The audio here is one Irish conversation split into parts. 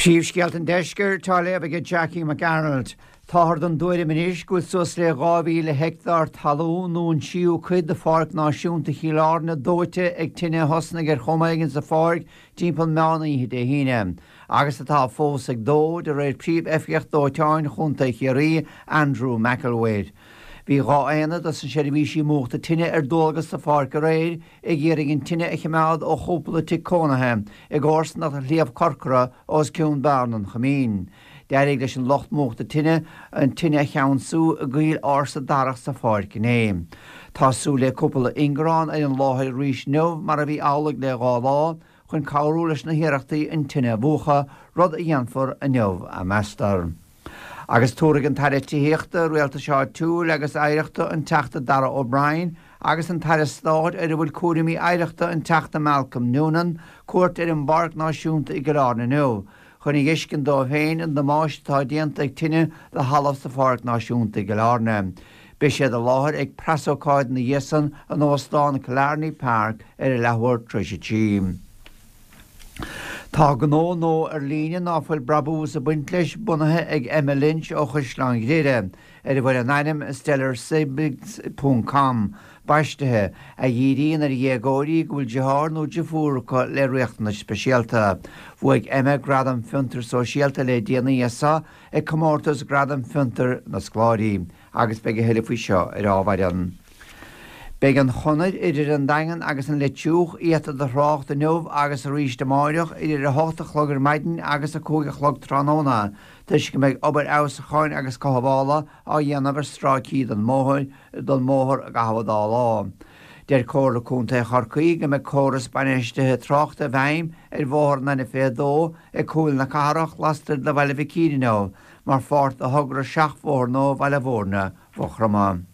Príomhscéalta an Deiscirt á léamh ag Jackie Mac Gearailt. Táthar den dtuairim anois go bhfuil suas le 2,000 heicteár talún nó an tríú cuid de Pháirc Náisiúnta Chill Airne dóite ag tine a thosnaigh ar chuma éigin sa pháirc timpeall meán oíche Dé hAoine, agus atá fós ag dó, de réir Príomh-Oifigeach Dóiteáin Chontae Chiarraí, Andrew McElwait. Bhí 2 aonad dos na seirbhísí múchta tine ar dualgas sa pháirc aréir ag iarraidh an tine a chimeád ó chúpla tigh cónaithe i gcomharsanacht Shliabh Corcra os cionn Bearna an Choimín. D'éirigh leis an lucht múchta tine an tine a cheansú i gcoill ársa darach sa pháirc inné. Tá súil le cúpla ingearán ar an láthair arís inniu mar a bhí amhlaidh le 2 lá, chun cabhrú leis na hiarrachtaí an tine a mhúchadh, rud a dhéanfar inniu, meastar. Agus tabharfaidh an tAire Tithíochta, Rialtais Áitiúil agus Oidhreachta, an Teachta Darragh O'Brien, agus an tAire Stáit ar a bhfuil cúraimí oidhreachta, an Teachta Malcolm Noonan, cuairt ar an bPáirc Náisiúnta i gCill Airne inniu, chun a dh'fheiscint dóibh féin an damáiste atá déanta ag tine do thalamh sa Pháirc Náisiúnta i gCill Airne. Beidh siad i láthair ag preasócáid ina dhiaidh san in Óstán Killarney Park ar a leathuair tar éis a 3. Tá gnó nua ar líne ná fuil brabús ag baint leis bunaithe ag Emma Lynch ó Chaisleán Ghriaire, ar a bhfuil an ainm Stellarsiblings ponc com baistithe, a dhíríonn ar dhéagóirí go bhfuil deartháir nó deirfiúr acu le riachtanais speisialta. Bhuaigh Emma Gradam Fiontar Sóisialta le déanaí as seo ag comórtas Gradam Fiontair na Scoláirí agus beidh a thuilleadh faoi seo ar ámhairean. Beidh an chonair idir an Daingean agus an Leitriúch iata do thrácht inniu agus arís amáireach idir 8 a chlog ar maidin agus 5 a chlog tráthnóna toisc go mbeidh obair fheabhsúcháin agus cothabhála á dhéanamh ar stráicí den mbóthar i gcaitheamh an dá lá. Deir Comhairle Contae Chorcaí go mbeidh córas bainistithe tráchta i bhfeidhm ar bhóthar an N22 ag Cúil na Cathrach lastoir de Bhaile Mhic Íre inniu mar pháirt de thogra seachbhóthar nua Bhaile Mhúirne. Mhaigh Chromtha.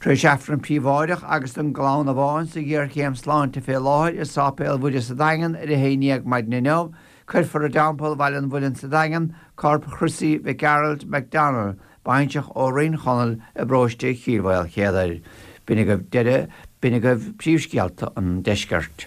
Tar éis Aifreann príobháideach agus don gclann amháin sa ghéarchéim sláinte fé láthair i Sáipéal Mhuire sa Daingean ar a 11 maidin inniu, cuirfear i dTeampall Bhaile an Mhuilinn sa Daingean corp Chrissy Mhic Gearailt McDonnell, baintreach ó Rinn Chonaill i bparóiste Chill Mhaoilchéadair. B'in agaibh deireadh, b'in agaibh príomhscéalta an deiscirt.